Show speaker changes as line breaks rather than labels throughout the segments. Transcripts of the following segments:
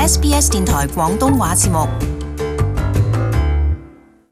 SBS 電台廣東話節目。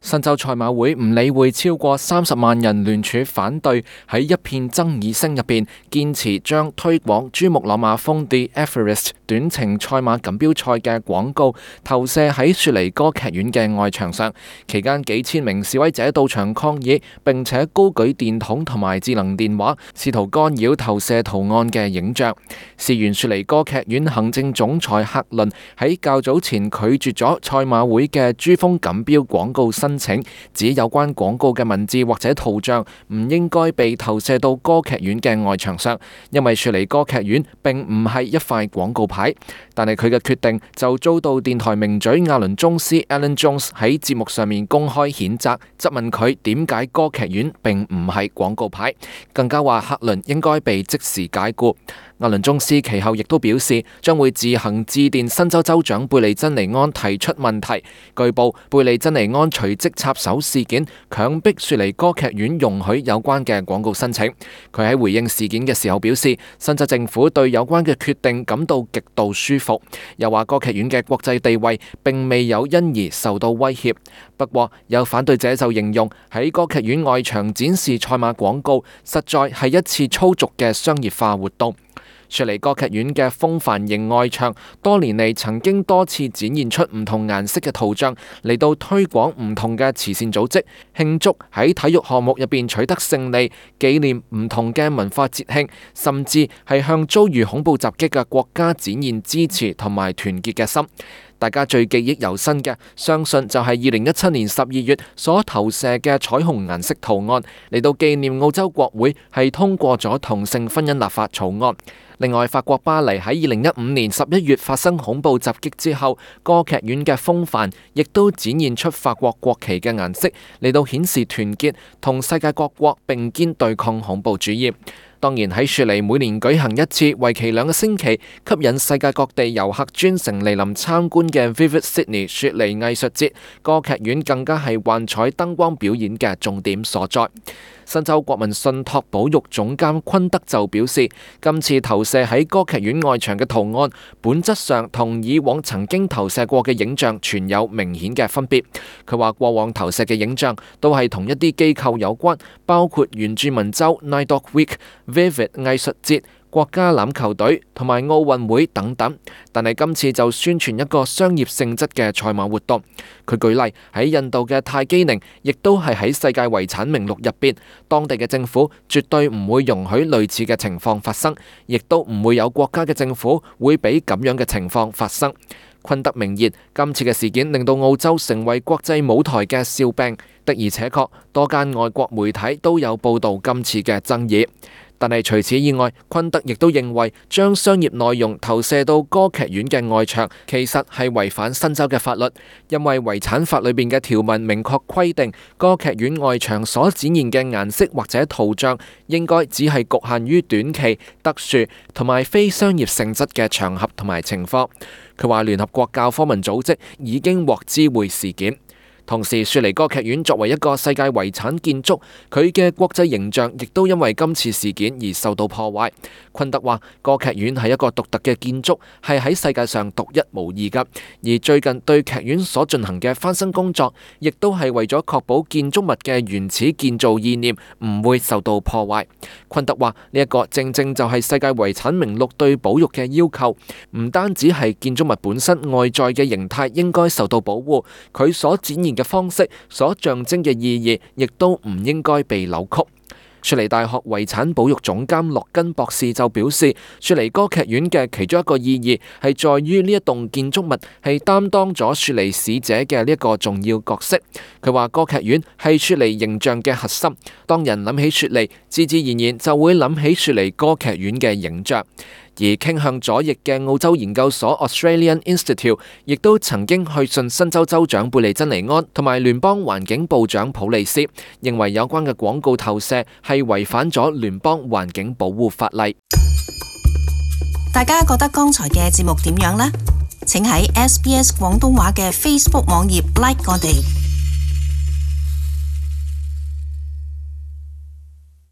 新州賽馬會唔理會超過30萬人聯署反對，喺一片爭議聲入邊，堅持將推廣珠穆朗瑪峰 The Everest 短程賽馬錦標賽嘅廣告投射喺雪梨歌劇院嘅外牆上。期間幾千名示威者到場抗議，並且高舉電筒同埋智能電話，試圖干擾投射圖案嘅影像。事源雪梨歌劇院行政總裁克倫喺較早前拒絕咗賽馬會嘅珠峰錦標廣告申請，指有關廣告嘅文字或者圖像唔應該被投射到歌劇院嘅外牆上，因為雪梨歌劇院並唔係一塊廣告牌。但係佢嘅決定就遭到電台名嘴亞倫宗斯 Alan Jones 喺節目上面公開譴責，質問佢點解歌劇院並唔係廣告牌，更加話克倫應該被即時解雇。亞倫宗斯其後亦都表示，將會自行致電新州州長貝利珍尼安提出問題。據報，貝利珍尼安隨即插手事件，強迫雪梨歌劇院容許有關嘅廣告申請。佢喺回應事件嘅時候表示，新州政府對有關嘅決定感到極度舒服，又話歌劇院嘅國際地位並未有因而受到威脅。不過，有反對者就形容喺歌劇院外牆展示賽馬廣告，實在係一次粗俗嘅商業化活動。雪梨歌劇院嘅風帆型外牆多年嚟曾經多次展現出唔同顏色嘅圖像，嚟到推廣唔同嘅慈善組織，慶祝喺體育項目入邊取得勝利，紀念唔同嘅文化節慶，甚至係向遭遇恐怖襲擊嘅國家展現支持同埋團結嘅心。大家最記憶猶新嘅，相信就係2017年12月所投射嘅彩虹顏色圖案，嚟到紀念澳洲國會係通過咗同性婚姻立法草案。另外，法國巴黎喺2015年11月發生恐怖襲擊之後，歌劇院嘅風帆亦都展現出法國國旗嘅顏色，嚟到顯示團結，同世界各國並肩對抗恐怖主義。當然喺雪梨每年舉行一次為期2個星期，吸引世界各地遊客專程嚟臨參觀嘅 Vivid Sydney 雪梨藝術節，歌劇院更加係幻彩燈光表演嘅重點所在。新州國民信託保育總監昆德就表示，今次投射喺歌劇院外牆嘅圖案，本質上同以往曾經投射過嘅影像存有明顯嘅分別。佢話過往投射嘅影像都係同一啲機構有關，包括原住民州 Nine Dog Week、Vivid 藝術節、國家欖球隊同埋奧運會等等，但係今次就宣傳一個商業性質嘅賽馬活動。佢舉例喺印度嘅泰姬陵，亦都係喺世界遺產名錄入邊，當地嘅政府絕對唔會容許類似嘅情況發生，亦都唔會有國家嘅政府會俾咁樣嘅情況發生。昆德明言，今次嘅事件令到澳洲成為國際舞台嘅笑柄，的而且確多間外國媒體都有報導今次嘅爭議。但係除此以外，昆德亦都認為將商業內容投射到歌劇院嘅外牆，其實係違反新州嘅法律，因為遺產法裏邊嘅條文明確規定，歌劇院外牆所展現嘅顏色或者圖像，應該只係局限於短期、特殊同埋非商業性質嘅場合同埋情況。佢話聯合國教科文組織已經獲知會事件。同時，雪梨歌劇院作為一個世界遺產建築，佢嘅國際形象亦都因為今次事件而受到破壞。昆德話：歌劇院係一個獨特嘅建築，係喺世界上獨一無二㗎。而最近對劇院所進行嘅翻新工作，亦都係為咗確保建築物嘅原始建造意念唔會受到破壞。昆德話：呢一個正正就係世界遺產名錄對保育嘅要求，唔單止係建築物本身外在嘅形態應該受到保護，佢所展現嘅方式所象徵嘅意義，亦都唔應該被扭曲。雪梨大學遺產保育總監洛根博士就表示，雪梨歌劇院嘅其中一個意義係在於呢一棟建築物係擔當咗雪梨使者嘅呢一個重要角色。佢話歌劇院係雪梨形象嘅核心，當人諗起雪梨，自自然然就會諗起雪梨歌劇院嘅影像。而傾向左翼嘅澳洲研究所 Australian Institute 亦都曾經去信新州州長貝利珍尼安同埋聯邦環境部長普利斯，認為有關嘅廣告投射係違反咗聯邦環境保護法例。
大家覺得剛才嘅節目點樣呢？請喺 SBS 廣東話嘅 Facebook 網頁 like 我哋。